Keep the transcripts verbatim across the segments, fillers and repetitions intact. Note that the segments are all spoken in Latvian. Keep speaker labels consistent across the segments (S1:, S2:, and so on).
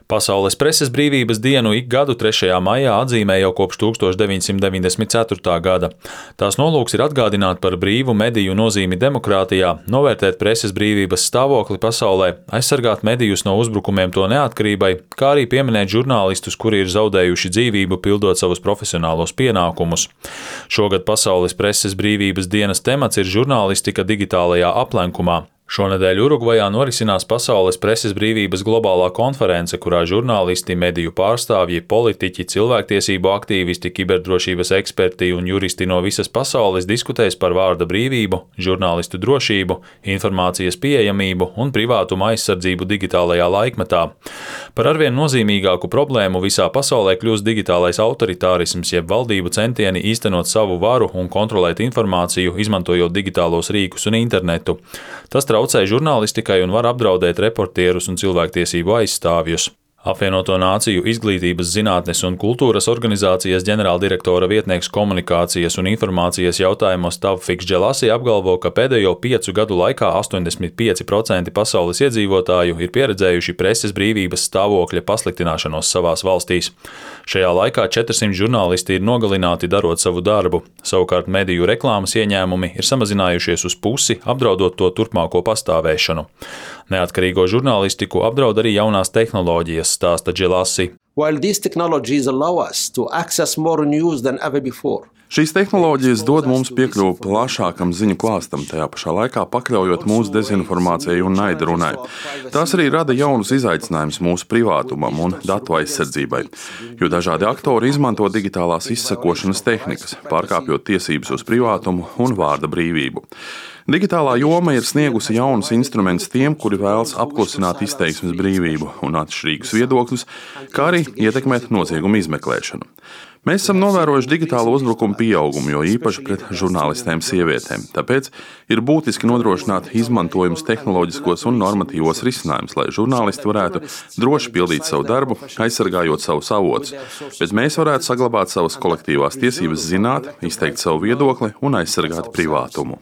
S1: Pasaules preses brīvības dienu ik gadu trešajā maijā atzīmē jau kopš tūkstoš deviņsimt deviņdesmit ceturtā gada. Tās nolūks ir atgādināt par brīvu mediju nozīmi demokrātijā, novērtēt preses brīvības stāvokli pasaulē, aizsargāt medijus no uzbrukumiem to neatkarībai, kā arī pieminēt žurnālistus, kuri ir zaudējuši dzīvību pildot savus profesionālos pienākumus. Šogad Pasaules preses brīvības dienas temats ir žurnālistika digitālajā aplenkumā. Šonedēļ Urugvajā norisinās Pasaules preses brīvības globālā konference, kurā žurnālisti, mediju pārstāvji, politiķi, cilvēktiesību aktīvisti, kiberdrošības eksperti un juristi no visas pasaules diskutēs par vārda brīvību, žurnālistu drošību, informācijas pieejamību un privātuma aizsardzību digitālajā laikmetā. Par arvien nozīmīgāku problēmu visā pasaulē kļūst digitālais autoritārisms, jeb valdību centieni īstenot savu varu un kontrolēt informāciju, izmantojot digitālos rīkus un internetu. Tas traucē žurnālistikai un var apdraudēt reportierus un cilvēktiesību aizstāvjus. Apvienoto Nāciju izglītības, zinātnes un kultūras organizācijas ģenerāldirektora vietnieks komunikācijas un informācijas jautājumos Tawfiks Dželasi apgalvo, ka pēdējo piecu gadu laikā astoņdesmit pieci procenti pasaules iedzīvotāju ir pieredzējuši preses brīvības stāvokļa pasliktināšanos savās valstīs. Šajā laikā četrsimt žurnālisti ir nogalināti darot savu darbu. Savukārt mediju reklāmas ieņēmumi ir samazinājušies uz pusi, apdraudot to turpmāko pastāvēšanu. Neatkarīgo žurnālistiku apdraud arī jaunās tehnoloģijas, stāsta Dželasi.
S2: While these technologies allow us to access more news than ever before.
S3: Šīs tehnoloģijas dod mums piekļuvu plašākam ziņu klāstam, tajā pašā laikā pakļaujot mūsu dezinformācijai un naidrunai. Tās arī rada jaunus izaicinājumus mūsu privātumam un datu aizsardzībai, jo dažādi aktori izmanto digitālās izsekošanas tehnikas, pārkāpjot tiesības uz privātumu un vārda brīvību. Digitālā joma ir sniegusi jaunus instrumentus tiem, kuri vēlas apklusināt izteiksmes brīvību un atšķirīgus viedokļus, kā arī ietekmēt noziegumu izmeklēšanu. Mēs esam novērojuši digitālo uzbrukumu pieaugumu, jo īpaši pret žurnālistēm sievietēm. Tāpēc ir būtiski nodrošināt izmantojumus tehnoloģiskos un normatīvos risinājumus, lai žurnālisti varētu droši pildīt savu darbu, aizsargājot savus avotus, bet mēs varētu saglabāt savas kolektīvās tiesības zināt, izteikt savu viedokli un aizsargāt privātumu.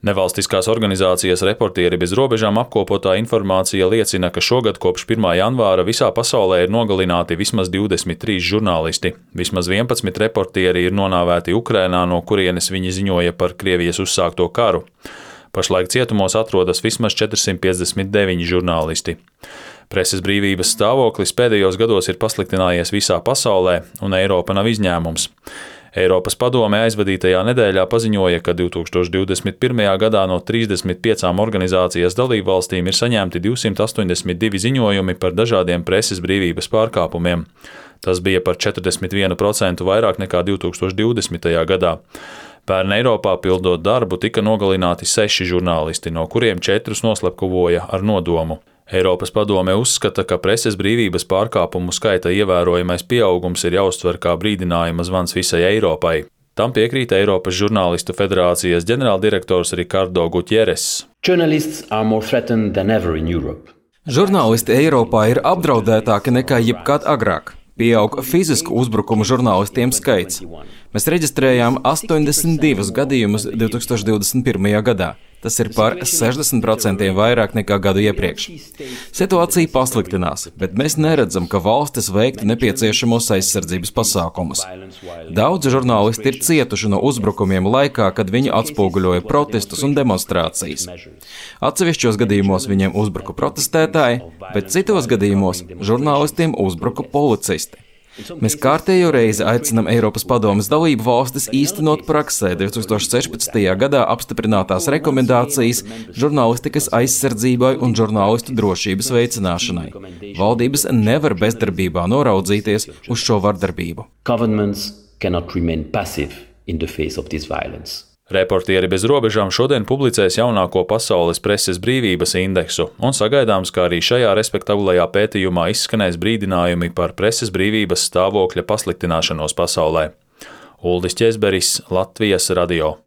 S1: Nevalstiskās organizācijas Reportieri bez robežām apkopotā informācija liecina, ka šogad kopš pirmā janvāra visā pasaulē ir nogalināti vismaz divdesmit trīs žurnālisti. Vismaz vienpadsmit reportieri ir nonāvēti Ukrainā, no kurienes viņi ziņoja par Krievijas uzsākto karu. Pašlaik cietumos atrodas vismaz četrsimt piecdesmit deviņi žurnālisti. Preses brīvības stāvoklis pēdējos gados ir pasliktinājies visā pasaulē, un Eiropa nav izņēmums. Eiropas padome aizvadītajā nedēļā paziņoja, ka divtūkstoš divdesmit pirmajā gadā no trīsdesmit piecām organizācijas dalībvalstīm ir saņemti divsimt astoņdesmit divi ziņojumi par dažādiem preses brīvības pārkāpumiem. Tas bija par četrdesmit vienu procentu vairāk nekā divtūkstoš divdesmitajā gadā. Pērn Eiropā pildot darbu tika nogalināti seši žurnālisti, no kuriem četrus noslepkavoja ar nodomu. Eiropas padome uzskata, ka preses brīvības pārkāpumu skaita ievērojamais pieaugums ir jāuztver kā brīdinājuma zvans visai Eiropai. Tam piekrīt Eiropas žurnālistu federācijas ģenerāldirektors Ricardo Gutierrez.
S4: Žurnālisti Eiropā ir apdraudētāki nekā jebkad agrāk. Pieaug fizisku uzbrukumu žurnālistiem skaits. Mēs reģistrējām astoņdesmit divus gadījumus divtūkstoš divdesmit pirmajā gadā. Tas ir par sešdesmit procentiem vairāk nekā gadu iepriekš. Situācija pasliktinās, bet mēs neredzam, ka valstis veiktu nepieciešamos aizsardzības pasākumus. Daudzi žurnālisti ir cietuši no uzbrukumiem laikā, kad viņi atspoguļoja protestus un demonstrācijas. Atsevišķos gadījumos viņiem uzbruka protestētāji, bet citos gadījumos žurnālistiem uzbruka policisti. Mēs kārtējo reizi aicinām Eiropas padomes dalību valstis īstenot praksē divtūkstoš sešpadsmitajā gadā apstiprinātās rekomendācijas žurnālistikas aizsardzībai un žurnālistu drošības veicināšanai. Valdības nevar bezdarbībā noraudzīties uz šo vardarbību.
S1: Reportieri bez robežām šodien publicēs jaunāko pasaules preses brīvības indeksu, un sagaidāms, ka arī šajā respektablajā pētījumā izskanēs brīdinājumi par preses brīvības stāvokļa pasliktināšanos pasaulē. Uldis Ķezberis, Latvijas radio.